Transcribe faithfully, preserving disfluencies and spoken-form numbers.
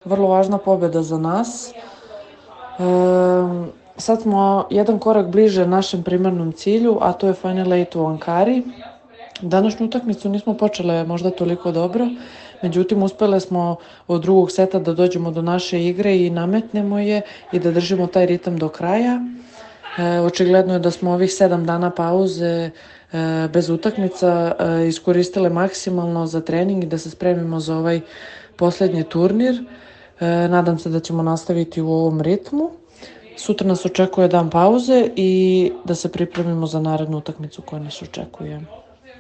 vrlo važna pobjeda za nas. E, sad smo jedan korak bliže našem primarnom cilju, a to je Final Eight u Ankari. Današnju utakmicu nismo počele možda toliko dobro, međutim uspjele smo od drugog seta da dođemo do naše igre i nametnemo je i da držimo taj ritam do kraja. E, očigledno je da smo ovih sedam dana pauze e, bez utakmica e, iskoristile maksimalno za trening i da se spremimo za ovaj posljednji turnir. E, nadam se da ćemo nastaviti u ovom ritmu. Sutra nas očekuje dan pauze i da se pripremimo za narednu utakmicu koja nas očekuje.